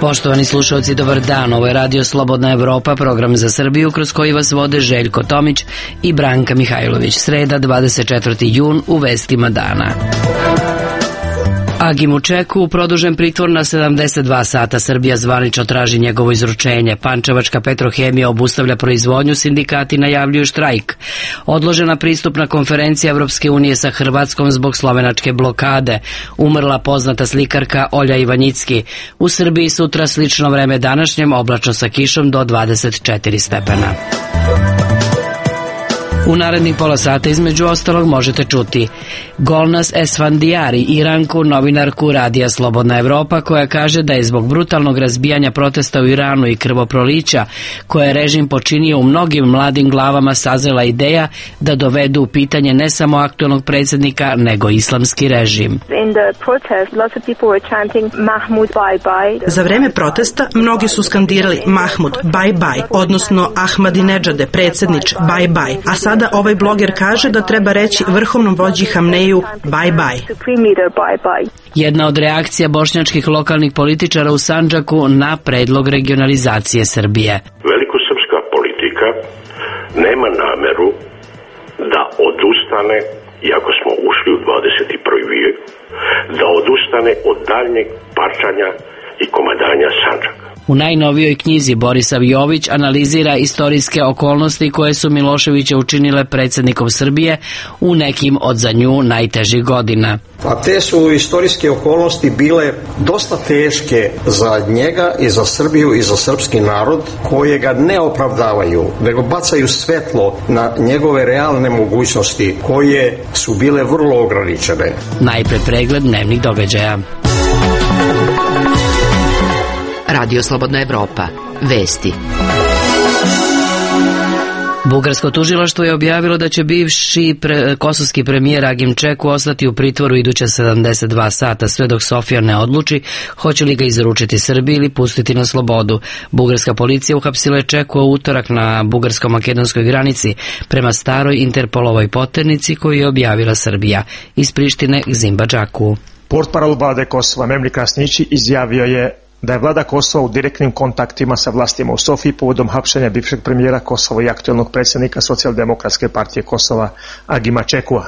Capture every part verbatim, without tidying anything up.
Poštovani slušalci, dobar dan. Ovo je Radio Slobodna Evropa, program za Srbiju kroz koji vas vode Željko Tomić i Branka Mihajlović. Sreda, dvadeset četvrti jun, u vestima dana. Agimu Čeku produžen pritvor na sedamdeset dva sata. Srbija zvanično traži njegovo izručenje. Pančevačka Petrohemija obustavlja proizvodnju, sindikati najavljuju štrajk. Odložena pristupna konferencija Evropske unije sa Hrvatskom zbog slovenačke blokade. Umrla poznata slikarka Olja Ivanjicki. U Srbiji sutra slično vreme današnjem, oblačno sa kišom do dvadeset četiri stepena. U narednih pola sata između ostalog možete čuti Golnaz Esfandiari, Iranku, novinarku Radija Slobodna Evropa, koja kaže da je zbog brutalnog razbijanja protesta u Iranu i krvoprolića koje je režim počinio u mnogim mladim glavama sazrela ideja da dovedu u pitanje ne samo aktuelnog predsjednika, nego islamski režim. Za vreme protesta mnogi su skandirali Mahmud, bye bye, odnosno Ahmadinedžade, predsjednič, bye bye, a sad Sada ovaj bloger kaže da treba reći vrhovnom vođi Hamneju bye bye. Jedna od reakcija bošnjačkih lokalnih političara u Sandžaku na predlog regionalizacije Srbije. Velikosrpska politika nema nameru da odustane, iako smo ušli u dvadeset prvi vijek, da odustane od daljnjeg parčanja i komadanja Sandžaka. U najnovijoj knjizi Borisav Jović analizira istorijske okolnosti koje su Miloševića učinile predsjednikom Srbije u nekim od za nju najtežih godina. A te su istorijske okolnosti bile dosta teške za njega i za Srbiju i za srpski narod, koje ga ne opravdavaju, nego bacaju svetlo na njegove realne mogućnosti koje su bile vrlo ograničene. Najpre pregled dnevnih događaja. Radio Slobodna Evropa. Vesti. Bugarsko tužilaštvo je objavilo da će bivši pre, kosovski premijer Agim Čeku ostati u pritvoru iduća sedamdeset dva sata, sve dok Sofija ne odluči hoće li ga izručiti Srbiji ili pustiti na slobodu. Bugarska policija uhapsila je Čeku u utorak na bugarsko-makedonskoj granici prema staroj Interpolovoj poternici koju je objavila Srbija. Iz Prištine Gzimba Džaku. Portparol vlade Kosova Memli Krasnići izjavio je da je vlada Kosova u direktnim kontaktima sa vlastima u Sofiji povodom hapšenja bivšeg premijera Kosova i aktuelnog predsjednika Socijaldemokratske partije Kosova Agima Čekua.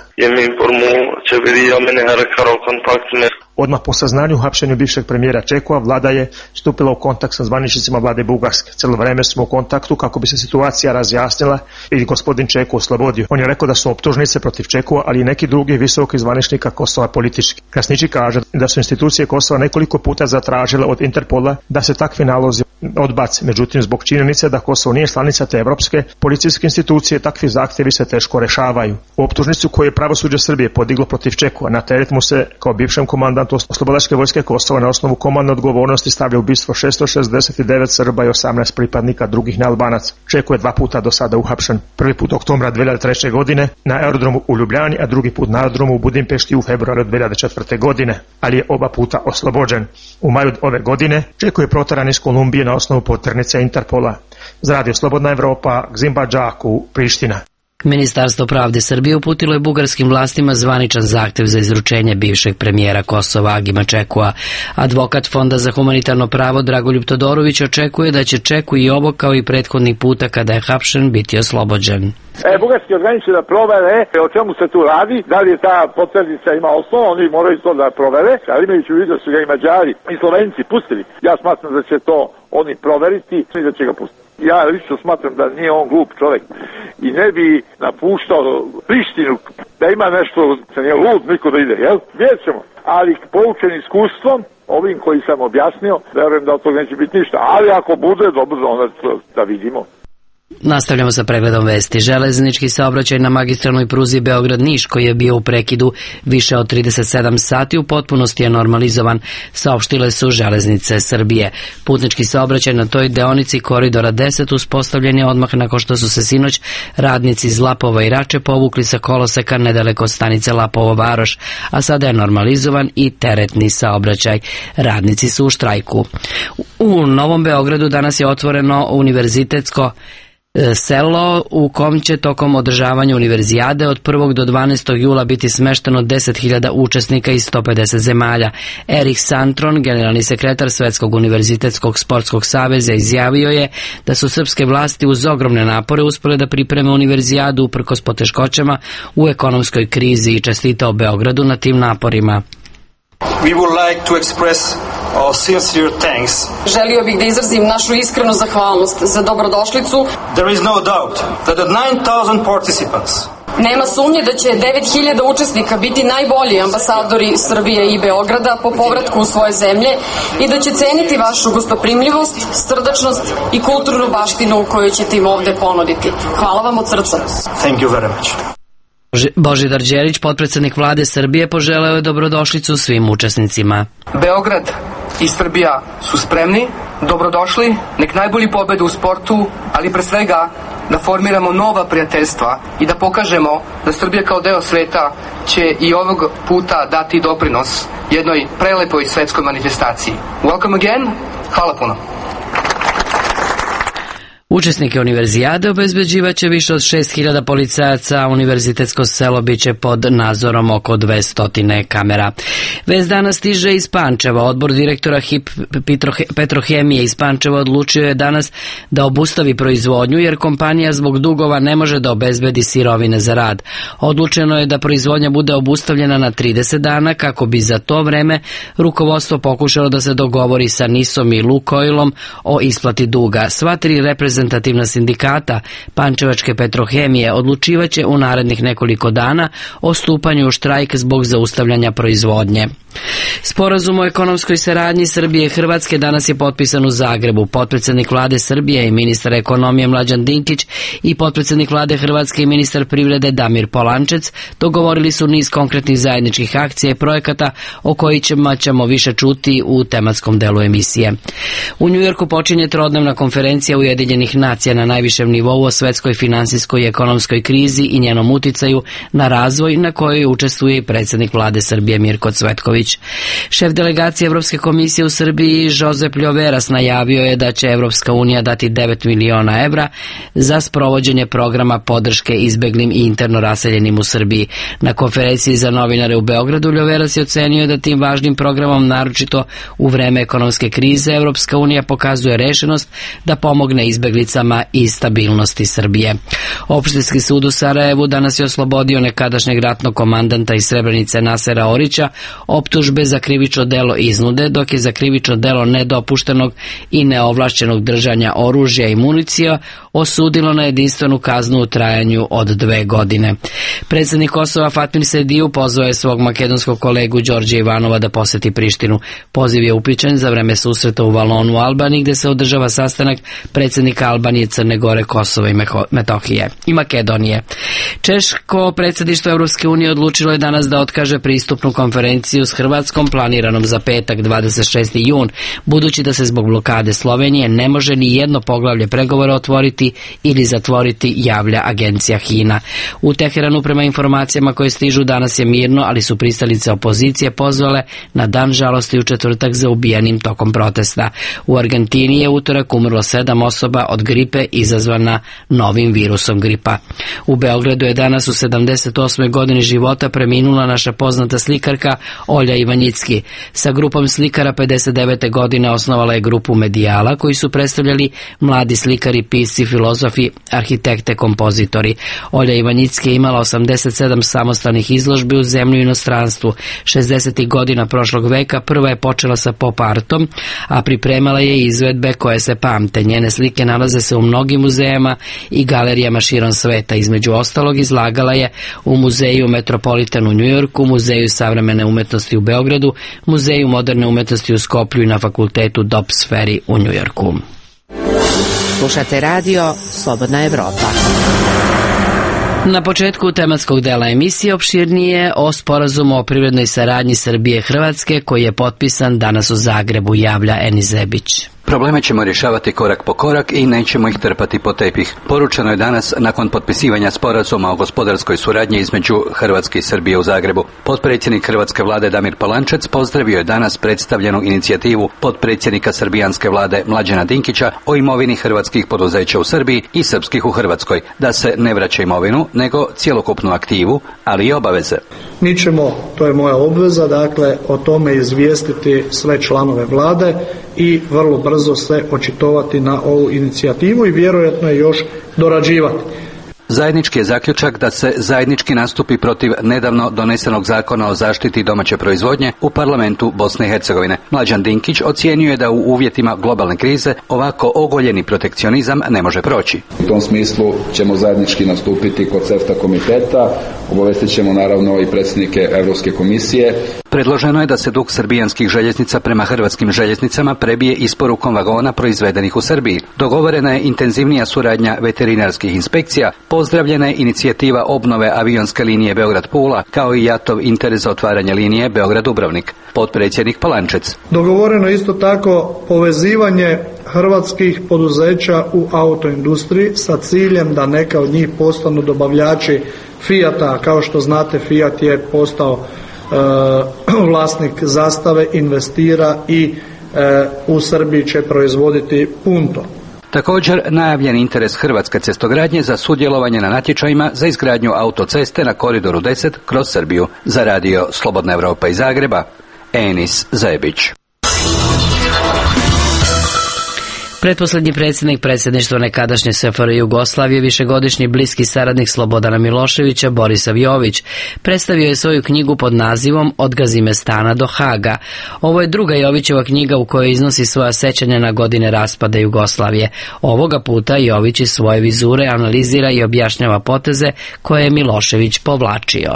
Odmah po saznanju hapšenju bivšeg premijera Čekua, vlada je stupila u kontakt sa zvaničnicima vlade Bugarske. Cijelo vreme smo u kontaktu kako bi se situacija razjasnila i gospodin Čeku oslobodio. On je rekao da su optužnice protiv Čekua, ali i neki drugi visoki zvaničnika Kosova politički. Krasnići kaže da su institucije Kosova nekoliko puta zatražile od Interpola da se takvi nalozi odbace. Međutim, zbog činjenice da Kosovo nije članica te evropske policijske institucije, takvi zahtjevi se teško rešavaju. U optužnicu koju je pravosuđe Srbije podiglo protiv Čekua, na teret mu se kao bivšem komandantu Oslobodačke vojske Kosova na osnovu komandne odgovornosti stavlja ubistvo šesto šezdeset devet Srba i osamnaest pripadnika drugih nealbanaca. Čeku je dva puta do sada uhapšen. Prvi put oktobra dve hiljade treće. godine na aerodromu u Ljubljani, a drugi put na aerodromu u Budimpešti u februaru dve hiljade četvrte. godine, ali je oba puta oslobođen. U maju ove godine Čeku je proteran iz Kolumbije na osnovu poternice Interpola. Za Radio Slobodna Evropa, Gzimba Džaku, Priština. Ministarstvo pravde Srbije uputilo je bugarskim vlastima zvaničan zahtjev za izručenje bivšeg premijera Kosova Agima Čekua. Advokat Fonda za humanitarno pravo Dragoljub Todorović očekuje da će Čeku i ovo kao i prethodnih puta kada je hapšen biti oslobođen. E, bugarski organi će da provere o čemu se tu radi, da li je ta poternica ima osnovu, oni moraju to da provere, ali imajući u vidu da su ga i Mađari i Slovenci pustili. Ja smatram da će to oni proveriti i da će ga pustiti. Ja lično smatram da nije on glup čovjek i ne bi napuštao Prištinu, da ima nešto, se nije lud niko da ide, jel? Vidjet ćemo, ali poučen iskustvom, ovim koji sam objasnio, verujem da od toga neće biti ništa, ali ako bude, dobro, onda da vidimo. Nastavljamo sa pregledom vesti. Železnički saobraćaj na magistralnoj pruzi Beograd-Niš, koji je bio u prekidu više od trideset sedam sati, u potpunosti je normalizovan, saopštile su Železnice Srbije. Putnički saobraćaj na toj deonici koridora deset uspostavljen je odmah nakon što su se sinoć radnici iz Lapova i Rače povukli sa koloseka nedaleko od stanice Lapovo Varoš, a sada je normalizovan i teretni saobraćaj. Radnici su u štrajku. U Novom Beogradu danas je otvoreno univerzitetsko selo u kom će tokom održavanja univerzijade od prvog do dvanaestog jula biti smešteno deset hiljada učesnika iz sto pedeset zemalja. Erik Santron, generalni sekretar Svetskog univerzitetskog sportskog saveza, izjavio je da su srpske vlasti uz ogromne napore uspjele da pripreme univerzijadu uprkos poteškoćama u ekonomskoj krizi i čestitao Beogradu na tim naporima. We would like to express our sincere thanks. Želio bih da izrazim našu iskrenu zahvalnost za dobrodošlicu. There is no doubt that the nine thousand participants Nema sumnje da će devet hiljada učesnika biti najbolji ambasadori Srbije i Beograda po povratku u svoje zemlje i da će ceniti vašu gostoprimljivost, srdačnost i kulturnu baštinu koju ćete im ovde ponuditi. Hvala vam od srca. Thank you very much. Božidar Đelić, potpredsednik vlade Srbije, poželeo je dobrodošlicu svim učesnicima. Beograd i Srbija su spremni, dobrodošli, nek najbolji pobedu u sportu, ali pre svega da formiramo nova prijateljstva i da pokažemo da Srbija kao deo sveta će i ovog puta dati doprinos jednoj prelepoj svetskoj manifestaciji. Welcome again, hvala puno. Učesnike univerzijade obezbeđivaće više od šest hiljada policajaca, a univerzitetsko selo biće pod nadzorom oko dvesta kamera. Vest danas stiže iz Pančeva. Odbor direktora H I P Petrohemije iz Pančeva odlučio je danas da obustavi proizvodnju jer kompanija zbog dugova ne može da obezbedi sirovine za rad. Odlučeno je da proizvodnja bude obustavljena na trideset dana kako bi za to vreme rukovodstvo pokušalo da se dogovori sa Nisom i Lukoilom o isplati duga. Sva tri reprezentativna reprezentativna sindikata Pančevačke Petrohemije odlučivaće u narednih nekoliko dana o stupanju u štrajk zbog zaustavljanja proizvodnje. Sporazum o ekonomskoj saradnji Srbije i Hrvatske danas je potpisan u Zagrebu. Potpredsednik vlade Srbije i ministar ekonomije Mlađan Dinkić i potpredsednik vlade Hrvatske i ministar privrede Damir Polančec dogovorili su niz konkretnih zajedničkih akcija i projekata o kojima ćemo više čuti u tematskom delu emisije. U Njujorku počinje trodnevna konferencija Ujedinjenih nacija na najvišem nivou o svetskoj finansijskoj i ekonomskoj krizi i njenom uticaju na razvoj, na kojoj učestvuje i predsednik vlade Srbije Mirko Cvetković. Šef delegacije Evropske komisije u Srbiji Josep Ljoveras najavio je da će Evropska unija dati devet miliona evra za sprovođenje programa podrške izbeglim i interno raseljenim u Srbiji. Na konferenciji za novinare u Beogradu Ljoveras je ocenio da tim važnim programom, naročito u vreme ekonomske krize, Evropska unija pokazuje rešenost da pomogne izbeglicama i stabilnosti Srbije. Opštinski sud u Sarajevu danas je oslobodio nekadašnjeg ratnog komandanta iz Srebrenice Nasera Orića optužbe za krivično delo iznude, dok je za krivično delo nedopuštenog i neovlašćenog držanja oružja i municija osudilo na jedinstvenu kaznu u trajanju od dve godine. Predsjednik Kosova Fatmir Sediju pozvao je svog makedonskog kolegu Đorđa Ivanova da poseti Prištinu. Poziv je upičen za vreme susreta u Valonu u Albaniji, gde se održava sastanak predsjednika Albanije, Crne Gore, Kosova i Metohije i Makedonije. Češko predsjedništvo Evropske unije odlučilo je danas da otkaže pristupnu konferenciju s Hrvatskom planiranom za petak dvadeset šesti jun, budući da se zbog blokade Slovenije ne može ni jedno poglavlje pregovora otvoriti ili zatvoriti, javlja agencija Hina. U Teheranu, prema informacijama koje stižu, danas je mirno, ali su pristalice opozicije pozvale na dan žalosti u četvrtak za ubijanim tokom protesta. U Argentini je utorak umrlo sedam osoba od gripe izazvana novim virusom gripa. U Beogradu je danas u sedamdeset osmoj godini života preminula naša poznata slikarka Olja Ivanjicki. Sa grupom slikara pedeset devete godine osnovala je grupu Medijala, koji su predstavljali mladi slikari, pisci, filozofi, arhitekte, kompozitori. Olja Ivanjicki je imala osamdeset sedam samostalnih izložbi u zemlji i inostranstvu. šezdesetih godina prošlog veka prva je počela sa pop artom, a pripremala je izvedbe koje se pamte. Njene slike nalaze se u mnogim muzejama i galerijama širom sveta. Između ostalog izlagala je u muzeju Metropolitan u Njujorku, muzeju savremene umetnosti u Beogradu, muzeju moderne umetnosti u Skoplju i na fakultetu Dobbs Ferry u Njujorku. Slušate radio Slobodna Evropa. Na početku tematskog dela emisije opširnije o sporazumu o privrednoj saradnji Srbije i Hrvatske koji je potpisan danas u Zagrebu, javlja Eni Zebić. Probleme ćemo rješavati korak po korak i nećemo ih trpati po tepih. Poručeno je danas nakon potpisivanja sporazuma o gospodarskoj suradnji između Hrvatske i Srbije u Zagrebu. Potpredsjednik hrvatske vlade Damir Polančec pozdravio je danas predstavljenu inicijativu potpredsjednika srbijanske vlade Mlađana Dinkića o imovini hrvatskih poduzeća u Srbiji i srpskih u Hrvatskoj, da se ne vraća imovinu, nego cjelokupnu aktivu, ali i obaveze. Mi ćemo, to je moja obveza, dakle, o tome izvijestiti sve članove vlade i vrlo brzo se očitovati na ovu inicijativu i vjerojatno je još dorađivati. Zajednički je zaključak da se zajednički nastupi protiv nedavno donesenog zakona o zaštiti domaće proizvodnje u parlamentu Bosne i Hercegovine. Mlađan Dinkić ocijenio je da u uvjetima globalne krize ovako ogoljeni protekcionizam ne može proći. U tom smislu ćemo zajednički nastupiti kod CEFTA komiteta, obavestit ćemo naravno i predsjednike Europske komisije. Predloženo je da se dug srbijanskih željeznica prema hrvatskim željeznicama prebije isporukom vagona proizvedenih u Srbiji. Dogovorena je intenzivnija suradnja veterinarskih inspekcija, pozdravljena je inicijativa obnove avionske linije Beograd-Pula, kao i jatov interes za otvaranje linije Beograd-Dubrovnik. Potpredsjednik Polančec. Dogovoreno je isto tako povezivanje hrvatskih poduzeća u autoindustriji sa ciljem da neka od njih postanu dobavljači Fijata. Kao što znate, Fijat je postao e, vlasnik Zastave, investira i e, u Srbiji će proizvoditi Punto. Također najavljen interes hrvatske cestogradnje za sudjelovanje na natječajima za izgradnju autoceste na koridoru deset kroz Srbiju. Za radio Slobodna Evropa iz Zagreba, Enis Zebić. Pretposlednji predsjednik predsjedništva nekadašnje S F R Jugoslavije, višegodišnji bliski saradnik Slobodana Miloševića, Borisav Jović, predstavio je svoju knjigu pod nazivom Od Gazimestana do Haga. Ovo je druga Jovićeva knjiga u kojoj iznosi svoja sećanja na godine raspada Jugoslavije. Ovoga puta Jović iz svoje vizure analizira i objašnjava poteze koje je Milošević povlačio.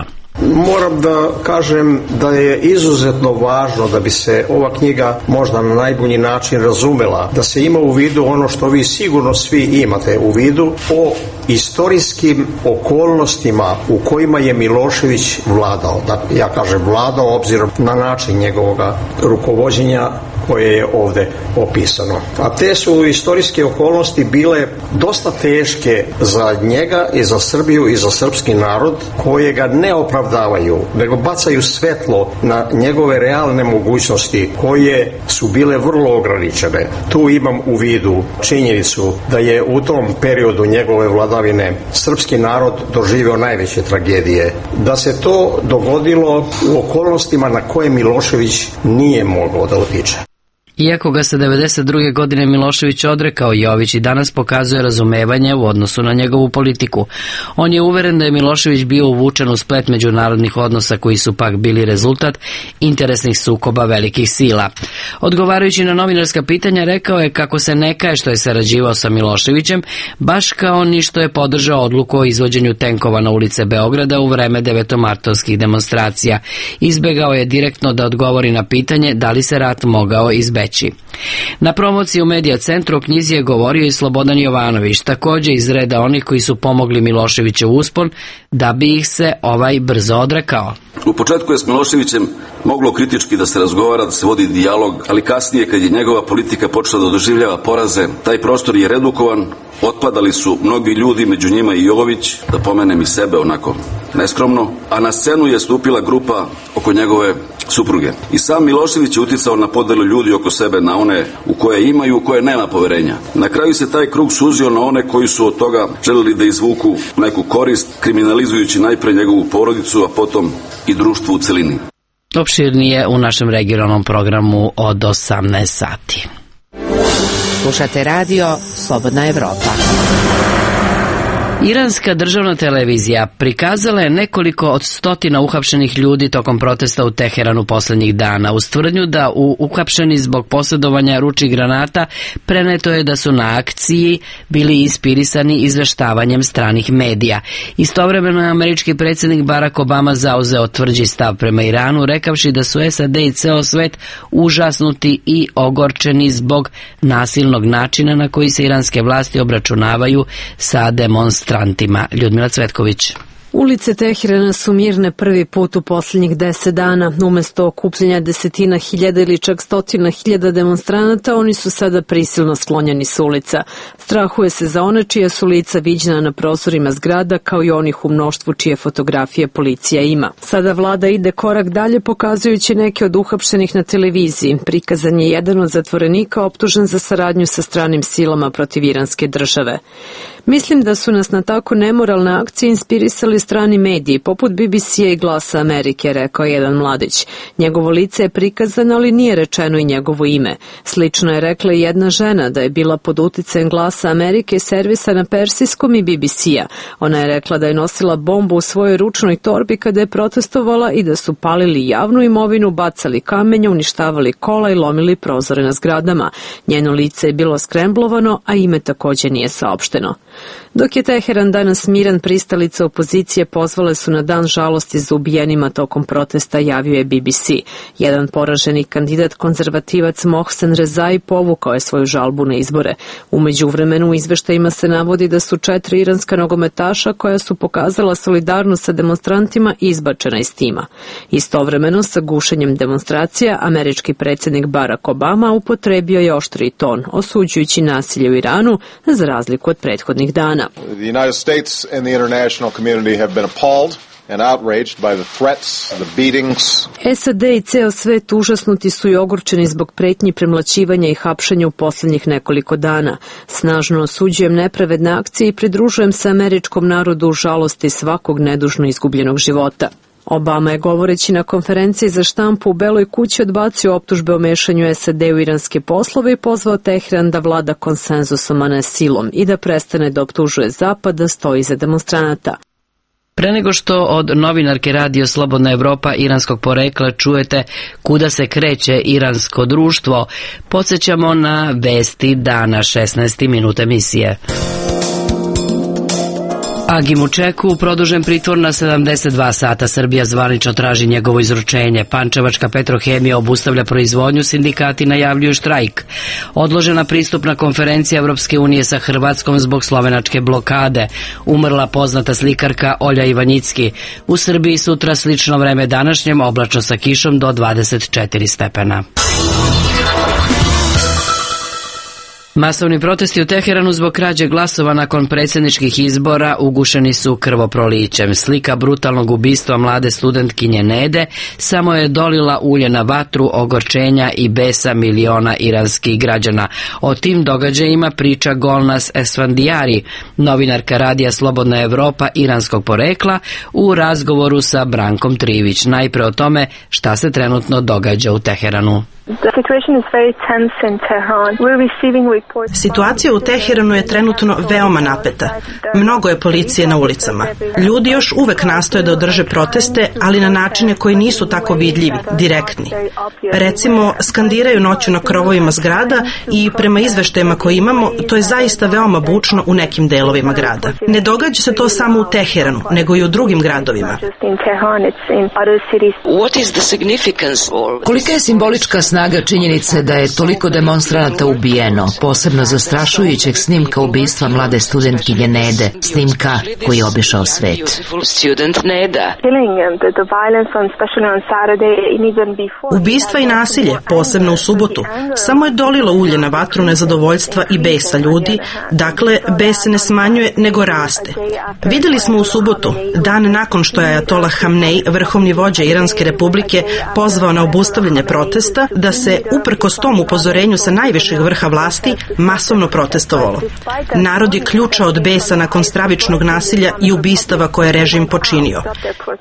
Moram da kažem da je izuzetno važno da bi se ova knjiga možda na najbolji način razumela, da se ima u vidu ono što vi sigurno svi imate u vidu o istorijskim okolnostima u kojima je Milošević vladao. Da, ja kažem vladao obzirom na način njegovog rukovođenja koje je ovde opisano. A te su istorijske okolnosti bile dosta teške za njega i za Srbiju i za srpski narod, koje ga ne opravdavaju, nego bacaju svetlo na njegove realne mogućnosti koje su bile vrlo ograničene. Tu imam u vidu činjenicu da je u tom periodu njegove vladavine srpski narod doživio najveće tragedije. Da se to dogodilo u okolnostima na koje Milošević nije mogao da utiče. Iako ga se devedeset druge godine Milošević odrekao, Jović i danas pokazuje razumevanje u odnosu na njegovu politiku. On je uveren da je Milošević bio uvučen u splet međunarodnih odnosa koji su pak bili rezultat interesnih sukoba velikih sila. Odgovarajući na novinarska pitanja, rekao je kako se ne kaje što je sarađivao sa Miloševićem, baš kao ni što je podržao odluku o izvođenju tenkova na ulice Beograda u vreme devetomartovskih demonstracija. Izbegao je direktno da odgovori na pitanje da li se rat mogao izbeći. Na promociji u Medija centru o knjizi je govorio i Slobodan Jovanović, također iz reda onih koji su pomogli Miloševićev uspon, da bi ih se ovaj brzo odrekao. U početku je s Miloševićem moglo kritički da se razgovara, da se vodi dijalog, ali kasnije kad je njegova politika počela da doživljava poraze, taj prostor je redukovan, otpadali su mnogi ljudi, među njima i Jović, da pomenem i sebe onako neskromno, a na scenu je stupila grupa oko njegove supruge. I sam Milošević je uticao na podelu ljudi oko sebe, na one u koje imaju, u koje nema poverenja. Na kraju se taj krug suzio na one koji su od toga želeli da izvuku neku korist, kriminalizujući najpre njegovu porodicu, a potom i društvo u celini. Opširnije u našem regionalnom programu od osamnaest sati. Slušate radio Slobodna Evropa. Iranska državna televizija prikazala je nekoliko od stotina uhapšenih ljudi tokom protesta u Teheranu posljednjih dana. Uz tvrdnju da u uhapšeni zbog posjedovanja ručnih granata preneto je da su na akciji bili inspirisani izveštavanjem stranih medija. Istovremeno je američki predsjednik Barack Obama zauzeo tvrđi stav prema Iranu, rekavši da su S A D i ceo svet užasnuti i ogorčeni zbog nasilnog načina na koji se iranske vlasti obračunavaju sa demonstrantima. Ljudmila Cvetković. Ulice Teherana su mirne prvi put u posljednjih deset dana. Umesto okupljanja desetina hiljada ili čak stotina hiljada demonstranata, oni su sada prisilno sklonjeni s ulica. Strahuje se za one čija su lica viđena na prozorima zgrada, kao i onih u mnoštvu čije fotografije policija ima. Sada vlada ide korak dalje, pokazujući neke od uhapšenih na televiziji. Prikazan je jedan od zatvorenika optužen za saradnju sa stranim silama protiv iranske države. Mislim da su nas na tako nemoralne akcije inspirisali strani mediji, poput B B C-a i Glasa Amerike, rekao jedan mladić. Njegovo lice je prikazano, ali nije rečeno i njegovo ime. Slično je rekla i jedna žena da je bila pod uticajem Glasa Amerike, servisa na persijskom i B B C-a. Ona je rekla da je nosila bombu u svojoj ručnoj torbi kada je protestovala i da su palili javnu imovinu, bacali kamenje, uništavali kola i lomili prozore na zgradama. Njeno lice je bilo skremblovano, a ime također nije saopšteno. Dok je Teheran danas miran, pristalice opozicije pozvale su na dan žalosti za ubijenima tokom protesta, javio je B B C. Jedan poraženi kandidat, konzervativac Mohsen Rezai, povukao je svoju žalbu na izbore. U međuvremenu u izveštajima se navodi da su četiri iranska nogometaša koja su pokazala solidarnost sa demonstrantima izbačena iz tima. Istovremeno sa gušenjem demonstracija, američki predsjednik Barack Obama upotrebio je oštri ton, osuđujući nasilje u Iranu za razliku od prethodnih dana. The United States and the international community have been appalled and outraged by the threats, the beatings. S A D i ceo svet užasnuti su i ogorčeni zbog pretnji, premlaćivanja i hapšenja u posljednjih nekoliko dana. Snažno osuđujem nepravedne akcije i pridružujem se američkom narodu u žalosti svakog nedužno izgubljenog života. Obama je, govoreći na konferenciji za štampu u Beloj kući, odbacio optužbe o mešanju S A D u iranske poslove i pozvao Teheran da vlada konsenzusom, a ne silom, i da prestane da optužuje Zapad da stoji iza demonstranata. Pre nego što od novinarke Radio Slobodna Evropa iranskog porekla čujete kuda se kreće iransko društvo, podsjećamo na vesti dana, šesnaesti minut emisije. Agimu Čeku produžen pritvor na sedamdeset dva sata. Srbija zvanično traži njegovo izručenje. Pančevačka Petrohemija obustavlja proizvodnju, sindikati najavljuju štrajk. Odložena pristupna konferencija Evropske unije sa Hrvatskom zbog slovenačke blokade. Umrla poznata slikarka Olja Ivanjicki. U Srbiji sutra slično vreme današnjem, oblačno sa kišom do dvadeset četiri stepena. Masovni protesti u Teheranu zbog krađe glasova nakon predsjedničkih izbora ugušeni su krvoprolićem. Slika brutalnog ubistva mlade studentkinje Nede samo je dolila ulje na vatru ogorčenja i besa miliona iranskih građana. O tim događajima priča Golnas Esfandijari, novinarka Radija Slobodna Evropa iranskog porekla, u razgovoru sa Brankom Trivić. Najpre o tome šta se trenutno događa u Teheranu. Situacija u Teheranu je trenutno veoma napeta. Mnogo je policije na ulicama. Ljudi još uvek nastoje da održe proteste, ali na načine koji nisu tako vidljivi, direktni. Recimo, skandiraju noću na krovovima zgrada i prema izveštajima koje imamo, to je zaista veoma bučno u nekim delovima grada. Ne događa se to samo u Teheranu, nego i u drugim gradovima. Kolika je simbolička snaga činjenice da je toliko demonstranata ubijeno, posebno zastrašujućeg snimka ubistva mlade studentkinje Nede, snimka koji je obišao svet. Ubistva i nasilje, posebno u subotu, samo je dolilo ulje na vatru nezadovoljstva i besa ljudi, dakle, bes se ne smanjuje, nego raste. Vidjeli smo u subotu, dan nakon što je Ajatolah Hamnej, vrhovni vođa Iranske republike, pozvao na obustavljanje protesta, da se, uprkos tom upozorenju sa najvišeg vrha vlasti, masovno protestovalo. Narod je ključao od besa nakon stravičnog nasilja i ubistava koje je režim počinio.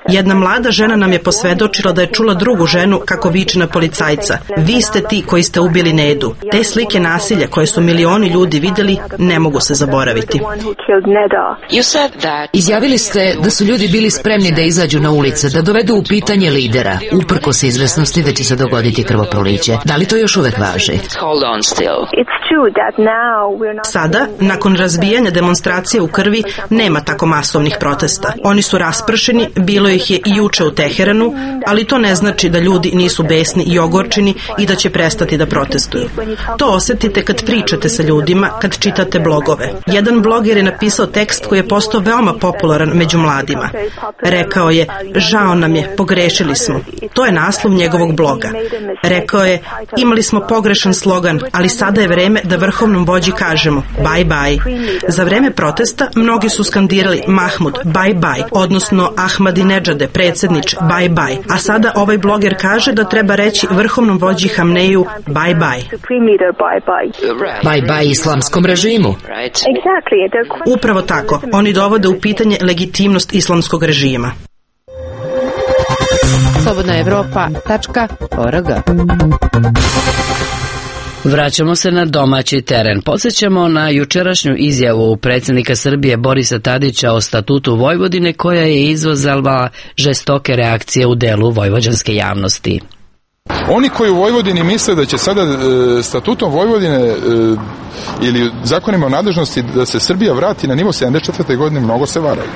Jedna mlada žena nam je posvedočila da je čula drugu ženu kako viče na policajca: "Vi ste ti koji ste ubili Nedu." Te slike nasilja koje su milioni ljudi vidjeli ne mogu se zaboraviti. Izjavili ste da su ljudi bili spremni da izađu na ulice, da dovedu u pitanje lidera, uprkos izvesnosti da će se dogoditi krvoproliće. Da li to još uvek važi? Sada, nakon razbijanja demonstracije u krvi, nema tako masovnih protesta. Oni su raspršeni, bilo ih je i juče u Teheranu, ali to ne znači da ljudi nisu besni i ogorčeni i da će prestati da protestuju. To osetite kad pričate sa ljudima, kad čitate blogove. Jedan bloger je napisao tekst koji je postao veoma popularan među mladima. Rekao je, žao nam je, pogrešili smo. To je naslov njegovog bloga. Rekao je, imali smo pogrešan slogan, ali sada je vreme da vrhovnom vođi kažemo bye bye. Za vreme protesta mnogi su skandirali Mahmud, bye bye, odnosno Ahmadinedžade, predsjednič, bye bye. A sada ovaj bloger kaže da treba reći vrhovnom vođi Hamneju bye bye. Bye bye islamskom režimu. Upravo tako. Oni dovode u pitanje legitimnost islamskog režima. slobodna evropa tačka org. Vraćamo se na domaći teren. Podsjećamo na jučerašnju izjavu predsjednika Srbije Borisa Tadića o statutu Vojvodine koja je izazvala žestoke reakcije u delu vojvođanske javnosti. Oni koji u Vojvodini misle da će sada e, statutom Vojvodine e, ili zakonima o nadležnosti da se Srbija vrati na nivo sedamdeset četvrte godine mnogo se varaju.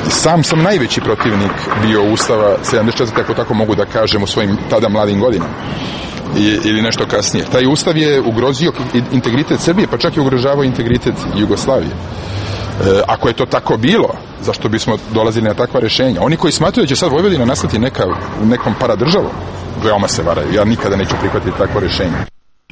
Sam sam najveći protivnik bio Ustava sedamdeset četvrte ako tako mogu da kažem u svojim tada mladim godinama. I, ili nešto kasnije. Taj ustav je ugrozio integritet Srbije, pa čak i ugrožavao integritet Jugoslavije. E, ako je to tako bilo, zašto bismo dolazili na takva rešenja? Oni koji smatruju da će sad Vojvodina nastati neka, nekom paradržavom, veoma se varaju. Ja nikada neću prihvatiti takvo rešenje.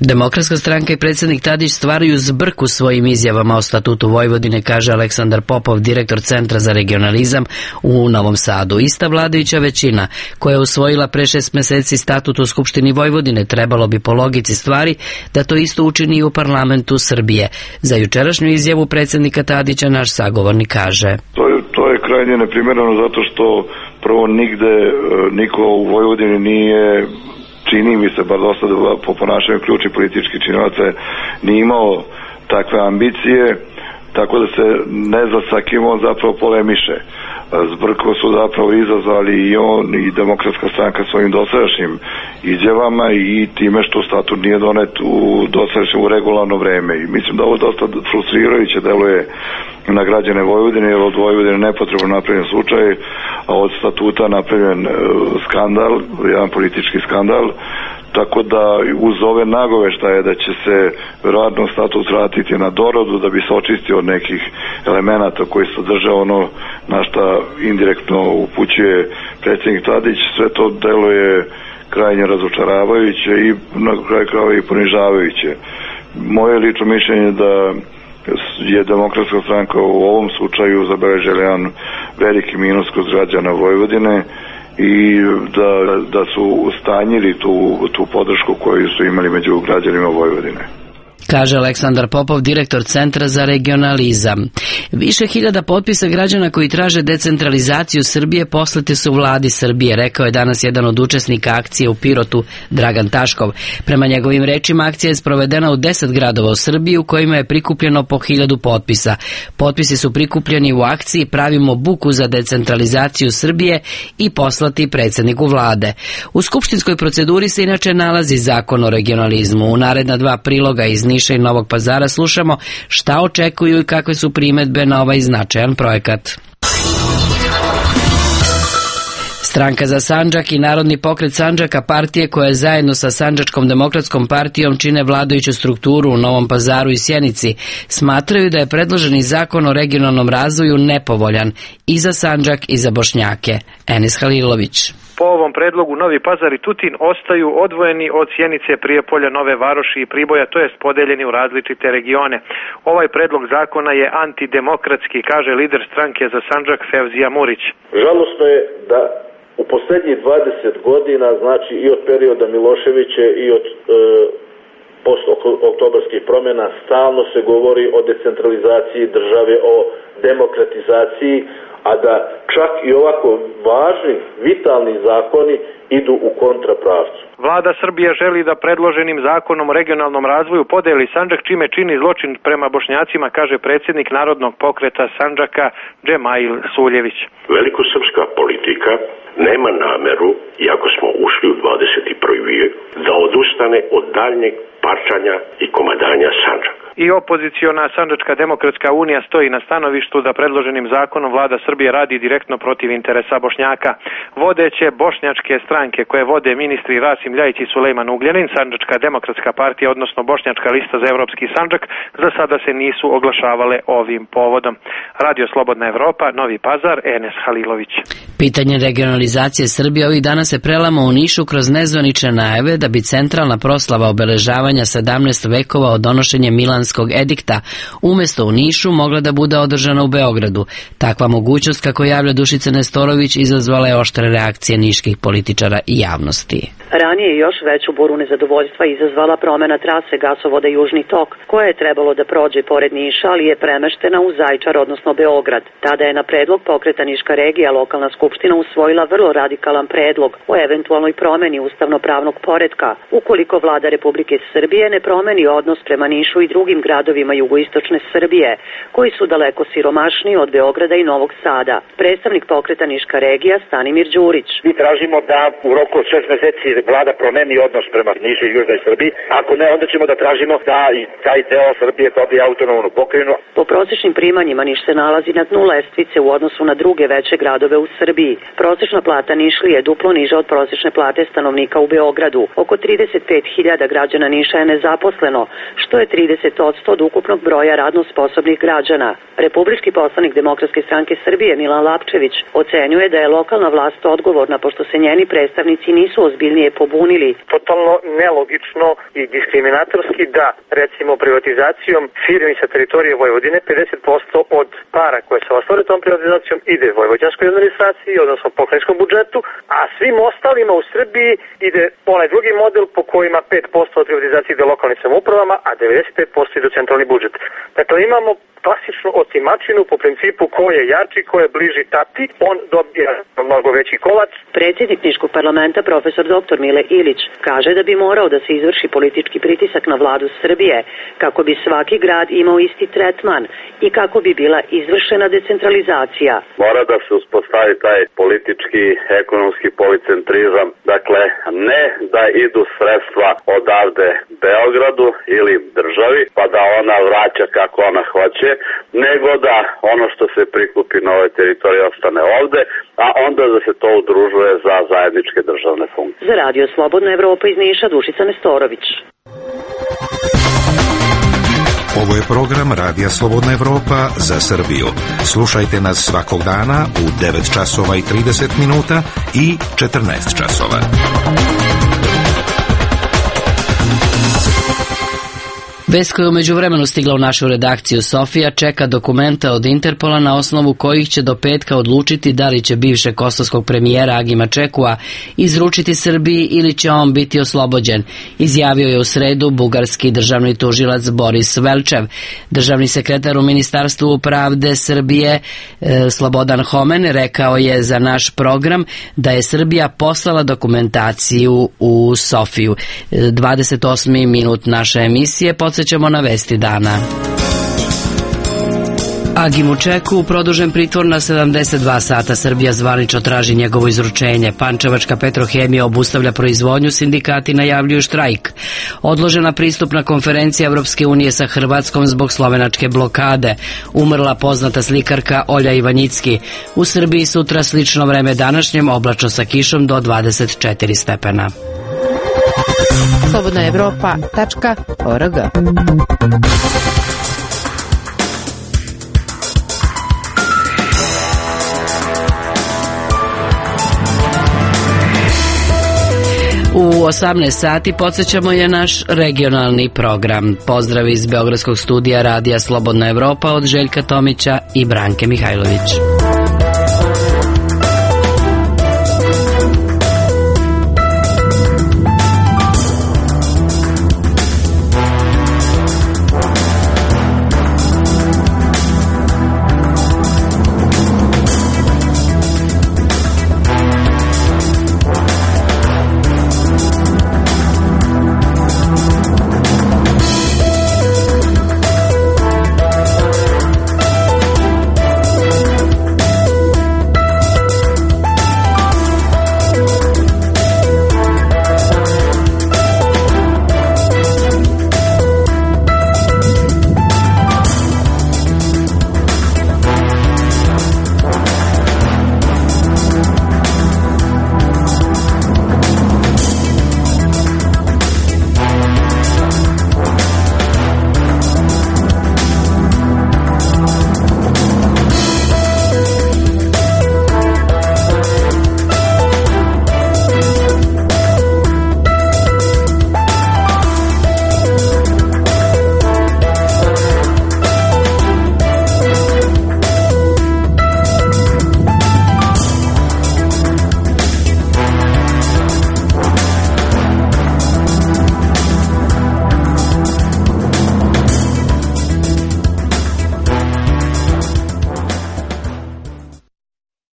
Demokratska stranka i predsjednik Tadić stvaraju zbrku svojim izjavama o statutu Vojvodine, kaže Aleksandar Popov, direktor Centra za regionalizam u Novom Sadu. Ista vladajuća većina koja je usvojila pre šest meseci statut u Skupštini Vojvodine trebalo bi po logici stvari da to isto učini i u parlamentu Srbije. Za jučerašnju izjavu predsjednika Tadića naš sagovornik kaže. To je, to je krajnje neprimjereno zato što prvo nigde niko u Vojvodini nije, čini mi se, bar dosta po ponašanju ključnih političkih činilaca, nije imao takve ambicije, tako da se ne zna sa kim on zapravo polemiše. Zbrko su zapravo izazvali i on i Demokratska stranka svojim dosadašnjim izjavama i time što statut nije donet u dosadašnje u regularno vreme. I mislim da ovo dosta frustrirajuće deluje na građane Vojvodine, jer od Vojvodine nepotrebno napravljen slučaj, a od statuta napravljen skandal, jedan politički skandal, tako da uz ove nagoveštaje da će se verovatno statut vratiti na doradu da bi se očistio od nekih elemenata koji sadrže ono na šta indirektno upućuje predsjednik Tadić, sve to deluje krajnje razočaravajuće i na kraju krajeva i ponižavajuće. Moje lično mišljenje da je Demokratska stranka u ovom slučaju zabeležila jedan veliki minus kod građana Vojvodine i da, da su ustanjili tu, tu podršku koju su imali među građanima Vojvodine. Kaže Aleksandar Popov, direktor Centra za regionalizam. Više hiljada potpisa građana koji traže decentralizaciju Srbije poslate su vladi Srbije, rekao je danas jedan od učesnika akcije u Pirotu, Dragan Taškov. Prema njegovim rečima, akcija je sprovedena u deset gradova u Srbiji u kojima je prikupljeno po hiljadu potpisa. Potpisi su prikupljeni u akciji Pravimo buku za decentralizaciju Srbije i poslati predsjedniku vlade. U skupštinskoj proceduri se inače nalazi zakon o regionalizmu. U naredna dva priloga iz Niša i Novog Pazara slušamo šta očekuju i kakve su primedbe na ovaj značajan projekat. Stranka za Sandžak i Narodni pokret Sandžaka, partije koje zajedno sa Sandžačkom demokratskom partijom čine vladajuću strukturu u Novom Pazaru i Sjenici, smatraju da je predloženi zakon o regionalnom razvoju nepovoljan i za Sandžak i za Bošnjake. Enis Halilović. Po ovom predlogu Novi Pazar i Tutin ostaju odvojeni od Sjenice, Prijepolja, Nove Varoši i Priboja, to jest podeljeni u različite regione. Ovaj predlog zakona je antidemokratski, kaže lider stranke za Sandžak Fevzija Murić. Žalosno je da u posljednjih dvadeset godina, znači i od perioda Miloševića i od e, post-oktobarskih promjena, stalno se govori o decentralizaciji države, o demokratizaciji, a da čak i ovako važni, vitalni zakoni idu u kontrapravcu. Vlada Srbije želi da predloženim zakonom o regionalnom razvoju podeli Sandžak, čime čini zločin prema Bošnjacima, kaže predsjednik Narodnog pokreta Sandžaka Džemail Suljević. Velikosrpska politika nema nameru, iako smo ušli u dvadeset prvi vijek, da odustane od daljnjeg parčanja i komadanja Sandžaka. I opoziciona Sandžačka demokratska unija stoji na stanovištu da predloženim zakonom vlada Srbije radi direktno protiv interesa Bošnjaka. Vodeće bošnjačke stranke koje vode ministri Rasim Ljajić i Sulejman Ugljanin, Sandžačka demokratska partija, odnosno Bošnjačka lista za evropski Sandžak, za sada se nisu oglašavale ovim povodom. Radio Slobodna Evropa, Novi Pazar, Enes Halilović. Pitanje regionalizacije Srbije ovih dana se prelama u Nišu kroz nezvanične najave da bi centralna proslava obeležavanja sedamnaestog vekova od donošenja Milanskog edikta umesto u Nišu mogla da bude održana u Beogradu. Takva mogućnost, kako javlja Dušica Nestorović, izazvala je oštre reakcije niških političara i javnosti. Ranije još veću buru nezadovoljstva izazvala promena trase gasovoda Južni tok, koja je trebalo da prođe pored Niša, ali je premeštena u Zaječar, odnosno Beograd. Tada je na predlog pokreta Niška regija lokalna skupština usvojila vrlo radikalan predlog o eventualnoj promeni ustavno-pravnog poretka, ukoliko vlada Republike Srbije ne promeni odnos prema Nišu i drugim gradovima jugoistočne Srbije, koji su daleko siromašniji od Beograda i Novog Sada. Predstavnik pokreta Niška regija Stanimir Đurić. Mi tražimo da u roku od šest meseci vlada promeni odnos prema Nišu i Južnoj Srbiji. Ako ne, onda ćemo da tražimo da i taj deo Srbije dobije autonomnu pokrajinu. Po prosečnim primanjima Niš se nalazi na dnu lestvice u odnosu na druge veće gradove u Srbiji. Prosečna plata Nišlije je duplo niža od prosečne plate stanovnika u Beogradu. Oko trideset pet hiljada građana Niša je nezaposleno, što je trideset posto od ukupnog broja radno sposobnih građana. Republički poslanik Demokratske stranke Srbije Milan Lapčević ocenjuje da je lokalna vlast odgovorna pošto se njeni predstavnici nisu ozbiljnije pobunili. Totalno nelogično i diskriminatorski da, recimo, privatizacijom firmi sa teritorije Vojvodine pedeset posto od para koje se ostvare tom privatizacijom ide vojvođanskoj administraciji, odnosno pokrajinskom budžetu, a svim ostalima u Srbiji ide onaj drugi model po kojima pet posto od privatizacije ide lokalnim samoupravama, a devedeset pet posto ide u centralni budžet. Dakle, imamo klasičnu otimačinu po principu ko je jači, ko je bliži tati, on dobija mnogo veći kolač. Predsjednik Niškog parlamenta profesor doktor Mile Ilić kaže da bi morao da se izvrši politički pritisak na vladu Srbije kako bi svaki grad imao isti tretman i kako bi bila izvršena decentralizacija. Mora da se uspostavi taj politički, ekonomski policentrizam, dakle ne da idu sredstva odavde Beogradu ili državi pa da ona vraća kako ona hoće, nego da ono što se prikupi na ovoj teritoriji ostane ovde, a onda da se to udružuje za zajedničke državne funkcije. Za Radio Slobodna Evropa iz Niša, Dušica Nestorović. Ovo je program Radija Slobodna Evropa za Srbiju. Slušajte nas svakog dana u devet časova i trideset minuta i četrnaest časova. Vest koja je umeđu vremenu stigla u našu redakciju Sofija čeka dokumenta od Interpola na osnovu kojih će do petka odlučiti da li će bivšeg kosovskog premijera Agima Čekua izručiti Srbiji ili će on biti oslobođen, izjavio je u sredu bugarski državni tužilac Boris Velčev. Državni sekretar u Ministarstvu pravde Srbije e, Slobodan Homen rekao je za naš program da je Srbija poslala dokumentaciju u Sofiju. dvadeset osmi minut naše emisije podsjećamo na vesti dana. Agimu Čeku produžen pritvor na sedamdeset dva sata. Srbija zvanično traži njegovo izručenje. Pančevačka Petrohemija obustavlja proizvodnju, sindikati najavljuju štrajk. Odložena pristupna konferencija Evropske unije sa Hrvatskom zbog slovenačke blokade. Umrla poznata slikarka Olja Ivanjicki. U Srbiji sutra slično vreme današnjem, oblačno sa kišom do dvadeset četiri stepena. slobodna evropa tačka org. U osamnaest sati podsjećamo je naš regionalni program. Pozdrav iz Beogradskog studija Radija Slobodna Evropa od Željka Tomića i Branke Mihajlović.